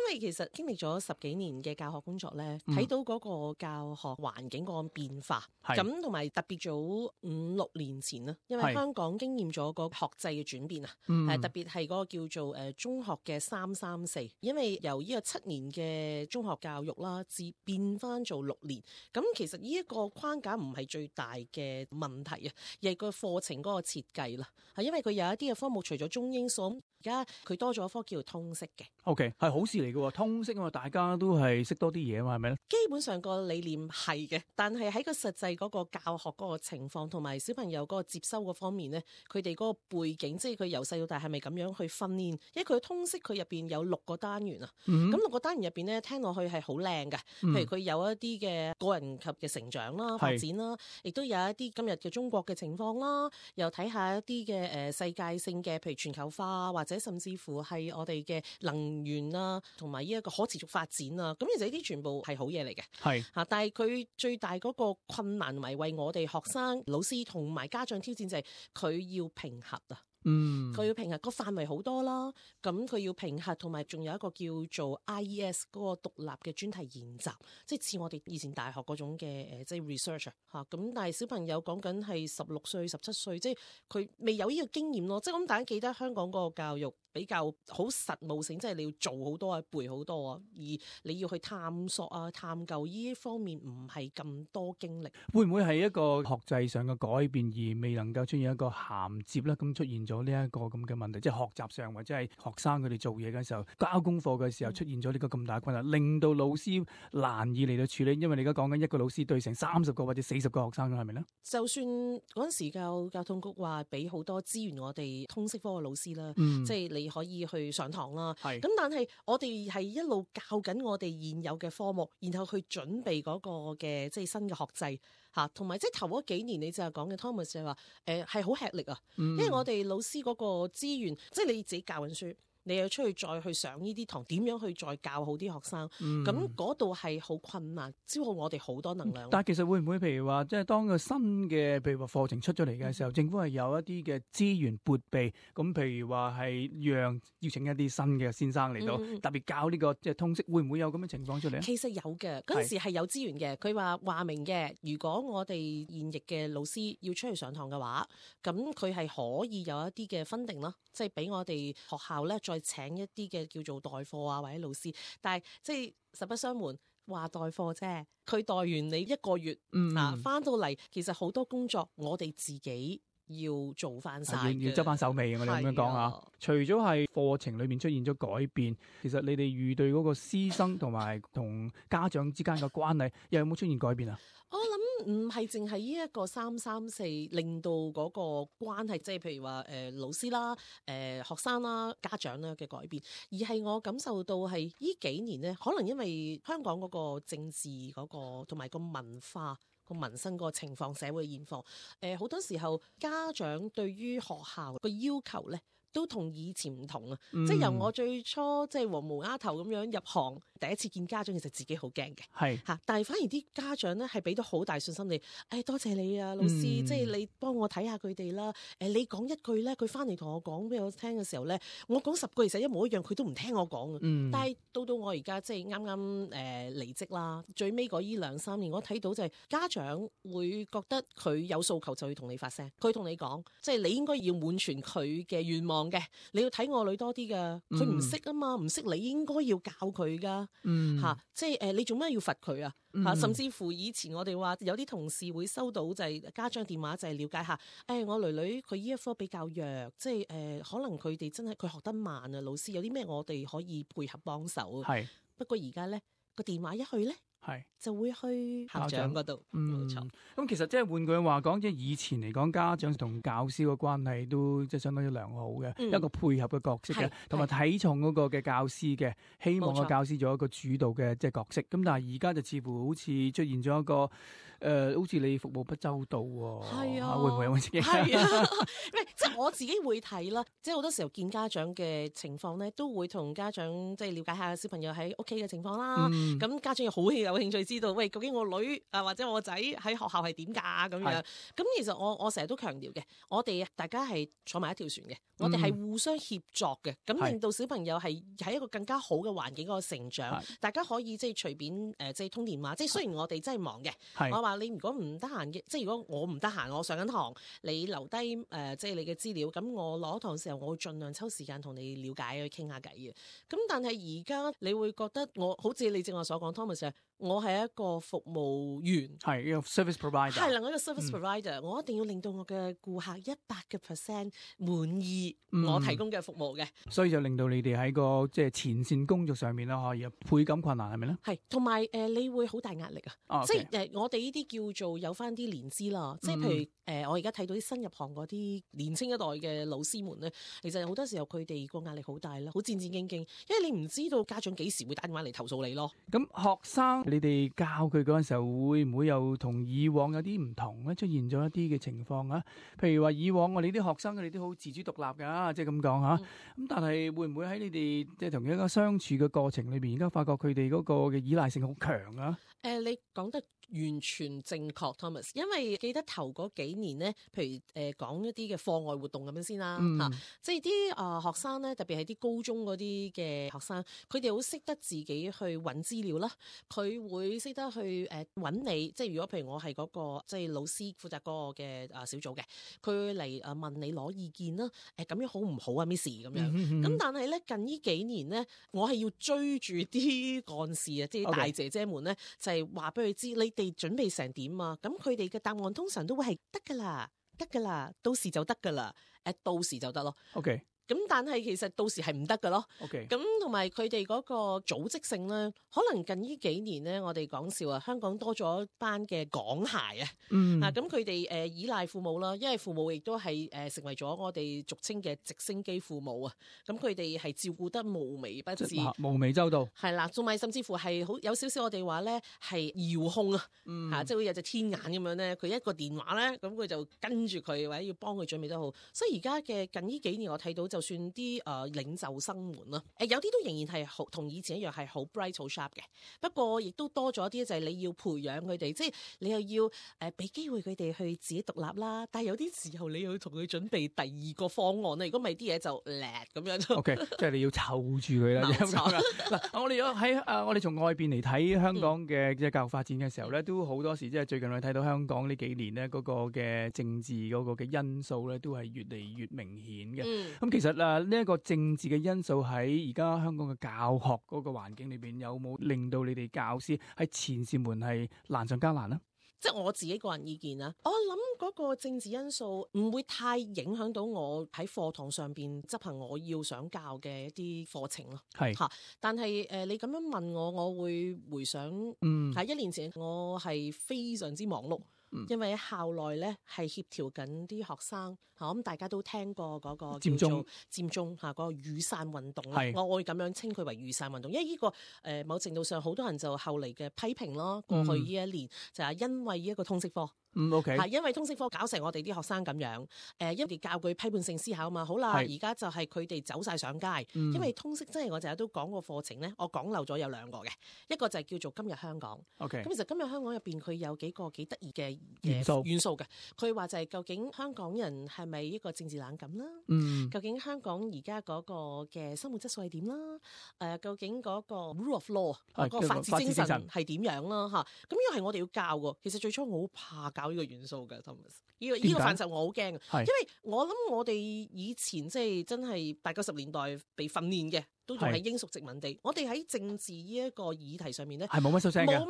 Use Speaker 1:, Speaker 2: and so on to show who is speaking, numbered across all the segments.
Speaker 1: 為其實經歷咗10幾年嘅教學工作咧，睇到嗰個教學環境嗰個變化，咁同埋特別早5-6年前啦，因為香港經驗咗個學制嘅轉變啊，特別係嗰個叫做中學嘅3-3-4，因為由呢個7年嘅中學教育啦，至變翻做6年，咁其實呢一個框架唔係最大嘅問題啊，而係個課程嗰個設計啦，係因為佢有一啲嘅科目除咗中英數，而家佢多咗一科叫做通識嘅。
Speaker 2: OK， 係好事嚟嘅喎，通識啊嘛，大家都係識多啲嘢啊嘛，係咪咧？
Speaker 1: 基本上個理念係嘅，但係喺個實際嗰個教學嗰個情況同埋小朋友嗰個接收嗰方面咧，佢哋嗰個背景，即係佢由細到大係咪咁樣去訓練？因為佢通識佢入邊有6個單元啊，咁6個單元入邊咧，聽落去係好靚嘅，譬如佢有一啲嘅個人級嘅成長啦、發展啦，亦都有一啲今日嘅中國嘅情況啦，又睇下一啲嘅世界性嘅，譬如全球化或者甚至乎係我哋嘅能源啊，同埋呢一個可持續發展啊，咁其實呢啲全部係好嘢嚟嘅，係嚇。但係佢最大嗰個困難同埋為我哋學生、老師同埋家長挑戰就係佢要評核啊。佢要評核個範圍好多啦，咁佢要評核，同埋仲有一個叫做 IES 嗰個獨立嘅專題研習，即係似我哋以前大學嗰種嘅即係 research 嚇。咁但係小朋友講緊係16歲、17歲，即係佢未有呢個經驗咯。即係咁大家記得香港嗰個教育比較好實務性，即係你要做好多啊、背好多啊，而你要去探索啊、探究呢一方面唔係咁多經歷。
Speaker 2: 會唔會係一個學制上嘅改變而未能夠出現一個銜接咧？咁出現咗呢一個咁嘅問題，即係學習上或者係學生佢哋做嘢嘅時候、交功課嘅時候出現咗呢個咁大困難，令到老師難以嚟到處理。因為你而家講緊一個老師對成30個或者40個學生，係咪咧？就算
Speaker 1: 嗰陣時教通局話俾好多資源我哋通識科嘅老師啦，即係你可以去上堂啦。咁但係我哋係一路教緊我哋現有嘅科目，然後去準備嗰個嘅即係新嘅學制嚇，同埋即係頭嗰幾年你就係講嘅 Thomas 就係話係好吃力啊，因為我哋老師嗰個資源，即係你自己教緊書，你又出去再去上呢啲堂，點樣去再教好啲學生？咁嗰度係好困難，消耗我哋好多能量。
Speaker 2: 但係其實會唔會譬如話，即係當個新嘅譬如話課程出咗嚟嘅時候，政府係有一啲嘅資源撥備，咁譬如話係讓邀請一啲新嘅先生嚟到，特別教呢個即係通識，會唔會有咁嘅情況出嚟？
Speaker 1: 其實有嘅，嗰陣時係有資源嘅。佢話明嘅，如果我哋現役嘅老師要出去上堂嘅話，咁佢係可以有一啲嘅funding啦，即係俾我哋學校咧再請一啲嘅叫做代課啊或者老師，但係即係實不相瞞，話代課啫，佢代完你1個月，翻到嚟其實好多工作我哋自己要做翻晒，
Speaker 2: 要執翻手尾。我哋咁樣講下，除咗係課程裏面出現咗改變，其實你哋預對嗰個師生同埋同家長之間嘅關係又有冇出現改變啊？
Speaker 1: 我諗唔係淨係呢一個3-3-4令到嗰個關係，即係譬如話老師啦、學生啦、家長啦嘅改變，而係我感受到係呢幾年咧，可能因為香港嗰個政治嗰個同埋個文化、個民生個情況、社會現況，好多時候家長對於學校個要求咧，都同以前唔同啊！即係由我最初即係黃毛丫頭咁樣入行，第一次見家長，其實自己好驚嘅，但係反而啲家長咧係俾到好大信心你，多謝你啊，老師，即係你幫我睇下佢哋啦。你講一句咧，佢翻嚟同我講俾我聽嘅時候咧，我講10句其實一模一樣，佢都唔聽我講啊。但係到我而家即係啱啱離職啦，最尾嗰呢2-3年，我睇到就係家長會覺得佢有訴求就要同你發聲，佢同你講，即係你應該要滿全佢嘅願望。嘅，你要睇我女多啲噶，佢唔識啊嘛，唔識你應該要教佢噶，即係你做咩要罰佢啊？甚至乎以前我哋話有啲同事會收到就係家長電話，就係了解下，我女女佢呢一科比較弱，即係可能佢哋真係佢學得慢啊，老師有啲咩我哋可以配合幫手。不過而家咧個電話一去咧，就會去校長嗰度，冇錯。
Speaker 2: 咁其實即係換句話講，即係以前嚟講，家長同教師個關係都即係相當之良好嘅，一個配合嘅角色嘅，同埋睇重嗰個嘅教師嘅，希望個教師做一個主導嘅即係角色。咁但係而家就似乎好似出現咗一個好似你服務不周到喎。
Speaker 1: 係啊，
Speaker 2: 會唔會有咁嘅？
Speaker 1: 係啊，即係我自己會睇啦。即係好多時候見家長嘅情況咧，都會同家長即係了解下小朋友喺屋企嘅情況啦。咁家長又好有興趣知道，喂，究竟我女或者我仔喺學校係點㗎咁樣？咁其實我成日都強調嘅，我哋大家係坐埋一條船嘅，我哋係互相協作嘅，咁令到小朋友係喺一個更加好嘅環境嗰個成長。大家可以即係隨便即係通電話。即係雖然我哋真係忙嘅，我話你如果唔得閒嘅，即係如果我唔得閒，我上緊堂，你留低即係你嘅資料，咁我攞堂嘅時候，我會盡量抽時間同你了解去傾下偈嘅。咁但係而家你會覺得我好似你正話所講 Thomas，我係一個服務員，
Speaker 2: 係一個 service provider， 係
Speaker 1: 一個 service provider，我一定要令到我嘅顧客100% 滿意我提供嘅服務嘅，
Speaker 2: 所以就令到你哋喺個即係前線工作上面啦，可以倍感困難係咪咧？
Speaker 1: 係，同埋你會好大壓力啊！即係我哋呢啲叫做有翻啲年資啦，即係譬如我而家睇到啲新入行嗰啲年青一代嘅老師們咧，其實好多時候佢哋個壓力好大啦，好戰戰兢兢，因為你唔知道家長幾時會打電話嚟投訴你咯。
Speaker 2: 咁學生你哋教佢嗰陣時候，會唔會又同以往有啲唔同咧？出現咗一啲嘅情況啊？譬如話以往我哋啲學生佢哋都好自主獨立㗎，即係咁講嚇。咁但係會唔會喺你哋即係同一個相處嘅過程裏邊，而家發覺佢哋嗰個嘅依賴性好強啊？
Speaker 1: 你講得完全正確 Thomas， 因為記得頭嗰幾年咧，譬如講一啲嘅課外活動咁樣先啦嚇，即係啲學生咧，特別係啲高中嗰啲嘅學生，佢哋好識得自己去揾資料啦，佢會識得去揾你，即係如果譬如我係嗰個即係老師負責嗰個嘅小組嘅，佢嚟問你攞意見啦，咁樣好唔好啊 Miss 咁樣，咁但係咧近呢幾年咧，我係要追住啲幹事啊，即係大姐姐們咧，就係話俾佢知你哋準備成點啊？咁佢哋嘅答案通常都會係得㗎啦，得㗎啦，到時就得㗎啦，到時就得咯。
Speaker 2: OK。
Speaker 1: 咁但係其實到時係唔得㗎咯。
Speaker 2: OK。
Speaker 1: 咁同埋佢哋嗰個組織性咧，可能近呢幾年咧，我哋講笑啊，香港多咗一班嘅港孩啊。咁佢哋依賴父母啦，因為父母亦都係成為咗我哋俗稱嘅直升機父母啊。咁佢哋係照顧得無微不至，
Speaker 2: 無微周到。
Speaker 1: 係啦，仲埋甚至乎係好有少少我哋話咧係遙控啊。即係好似有隻天眼咁樣咧，佢一個電話咧，咁佢就跟住佢或者要幫佢準備得好。所以而家嘅近呢幾年我睇到就算啲領袖生們啦，有啲都仍然係好同以前一樣係好 bright 好 sharp 嘅，不過亦都多咗啲就係你要培養佢哋，即係你又要俾機會佢哋去自己獨立啦。但係有啲時候你要同佢準備第二個方案啦，如果唔係啲嘢就叻咁樣。OK，
Speaker 2: 即係你要湊住佢啦。嗱，我哋喺我哋從外邊嚟睇香港嘅即係教育發展嘅時候咧，都好多時即係最近我哋睇到香港呢幾年咧嗰個嘅政治嗰個嘅因素咧，都係越嚟越明顯嘅。咁其實呢一個政治嘅因素喺而家香港嘅教學嗰個環境裏邊，有冇令到你哋教師喺前線門係難上加難呢？
Speaker 1: 即係我自己個人意見啦，我諗嗰個政治因素唔會太影響到我喺課堂上邊執行我要想教嘅一啲課程咯。係嚇，但係你咁樣問我，我會回想喺1年前我係非常之忙碌。因為喺校內咧係協調緊啲學生嚇，咁大家都聽過嗰個叫做佔中嚇，嗰個雨傘運動啦，我會咁樣稱佢為雨傘運動，因為呢個某程度上好多人就後嚟嘅批評咯，過去呢一年就係因為一個通識科。
Speaker 2: OK，
Speaker 1: 係因為通識科搞成我哋啲學生咁樣，因為教佢批判性思考啊嘛。好啦，而家就係佢哋走晒上街，因為通識真係我成日都講個課程咧，我講漏咗有兩個嘅，一個就係叫做今日香港。OK， 咁其實今日香港入邊佢有幾個幾得意嘅元素嘅，佢話就係究竟香港人係咪一個政治冷感啦？究竟香港而家嗰個嘅生活質素係點啦？究竟嗰個 rule of law 嗰個法治精神係點樣啦？嚇，咁呢個係我哋要教㗎。其實最初我好怕教呢個元素嘅 Thomas， 呢個範疇我好驚，因為我諗我哋以前即係真係80-90年代被訓練嘅，都仲係英屬殖民地。我哋喺政治呢一個議題上面咧，係冇乜出聲㗎，唔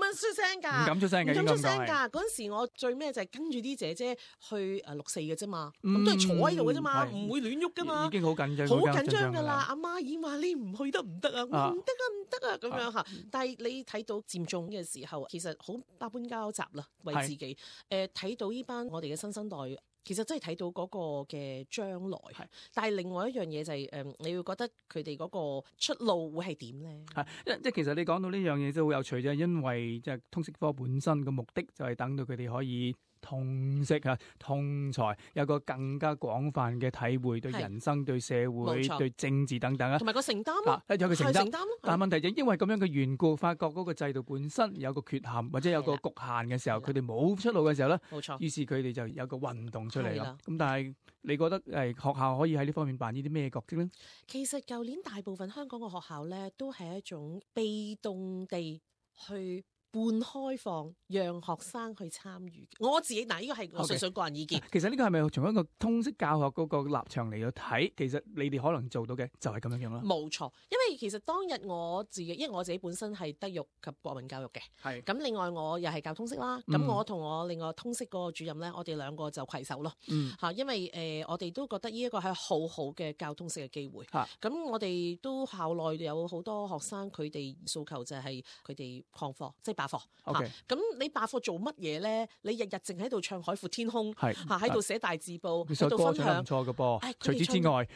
Speaker 1: 敢出聲㗎。嗰陣時我最咩就係跟住啲姐姐去6四嘅啫嘛，咁都係坐喺度嘅啫嘛，唔會亂喐㗎嘛，
Speaker 2: 已經好緊張，
Speaker 1: 好緊張㗎啦。阿媽已經話你唔去得唔得啊？唔得啊唔得啊咁樣嚇。但係你睇到佔中嘅時候，其實好百般交集啦，為自己睇到呢班我哋嘅新生代其實真係睇到嗰個嘅將來。
Speaker 2: 係
Speaker 1: 但係另外一樣嘢就係、你會覺得佢哋嗰個出路會係點咧？
Speaker 2: 係，即係其實你講到呢樣嘢都好有趣啫，因為即係通識科本身嘅目的就係等到佢哋可以通識啊、通才，有個更加廣泛嘅體會，對人生、對社會、
Speaker 1: 冇錯
Speaker 2: 對政治等等啊。
Speaker 1: 同埋個承擔咯，
Speaker 2: 有個承擔
Speaker 1: 係承擔咯。
Speaker 2: 但係問題就因為咁樣嘅緣故，發覺嗰個制度本身有個缺陷，或者有個局限嘅時候，
Speaker 1: 係啦
Speaker 2: 佢哋冇出路嘅時候咧，
Speaker 1: 冇錯。
Speaker 2: 於是佢哋就有個運動出嚟啦
Speaker 1: 係啦。
Speaker 2: 咁但係你覺得學校可以喺呢方面扮演啲咩角色咧？
Speaker 1: 其實舊年大部分香港嘅學校咧，都係一種被動地去半開放，讓學生去參與。我自己嗱，呢個係我純粹個人意見。
Speaker 2: 其實呢個係咪從一個通識教學嗰個立場嚟到睇？其實你哋可能做到嘅就係咁樣樣啦。
Speaker 1: 冇錯，因為其實當日我自己，因為我自己本身係德育及國民教育嘅，
Speaker 2: 係
Speaker 1: 咁另外我又係教通識啦。咁、我同我另外通識嗰個主任咧，我哋兩個就攜手咯。因為我哋都覺得呢一個係好好嘅教通識嘅機會。咁我哋都校內有好多學生，佢哋訴求就係佢哋曠課，即係罷課。
Speaker 2: OK
Speaker 1: 咁你罷課做乜嘢咧？你日日淨喺度唱海闊天空，喺度寫大字報，喺度分享。
Speaker 2: 唔錯嘅噃。除此之外，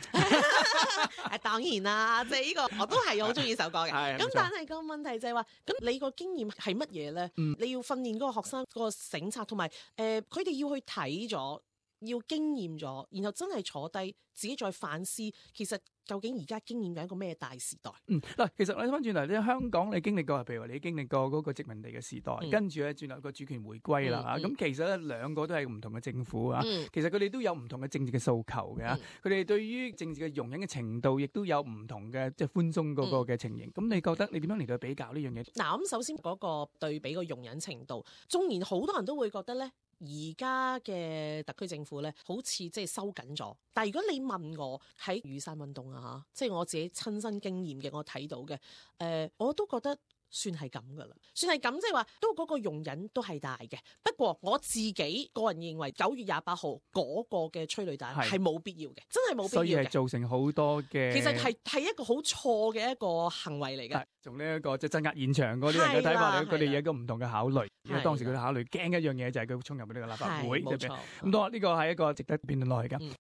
Speaker 1: 當然啦，即係呢個我都係好中意首歌嘅。咁但係個問題就係話，咁你個經驗係乜嘢咧？你要訓練嗰個學生個省察，同埋佢哋要去睇咗，要經驗咗，然後真係坐低自己再反思，其實究竟而家經驗緊一個咩大時代？
Speaker 2: 嗱，其實你睇翻轉頭，你香港你經歷過，譬如話你經歷過嗰個殖民地嘅時代，跟住咧轉頭個主權回歸啦嚇。咁其實咧兩個都係唔同嘅政府啊。其實佢哋都有唔同嘅政治嘅訴求嘅。佢哋對於政治嘅容忍嘅程度，亦都有唔同嘅即係寬鬆嗰個嘅情形。咁你覺得你點樣嚟到比較呢樣嘢？
Speaker 1: 嗱，咁首先嗰個對比個容忍程度，縱然好多人都會覺得咧，而家嘅特區政府咧，好似即係收緊咗。但係如果你問我喺雨傘運動啊嚇，即係我自己親身經驗嘅，我睇到嘅，我都覺得算係咁噶啦，算係咁，即係話都嗰個容忍都係大嘅。不過我自己個人認為9月28號嗰個嘅催淚彈係冇必要嘅，真係冇必要嘅。
Speaker 2: 所以係造成好多嘅，
Speaker 1: 其實係一個好錯嘅一個行為嚟嘅。
Speaker 2: 從呢一個即係鎮壓現場嗰啲人嘅睇法嚟，佢哋有一個唔同嘅考慮。因為當時佢哋考慮驚一樣嘢就係佢衝入呢個立法會，
Speaker 1: 冇錯。
Speaker 2: 咁多呢個係一個值得辯論落去㗎。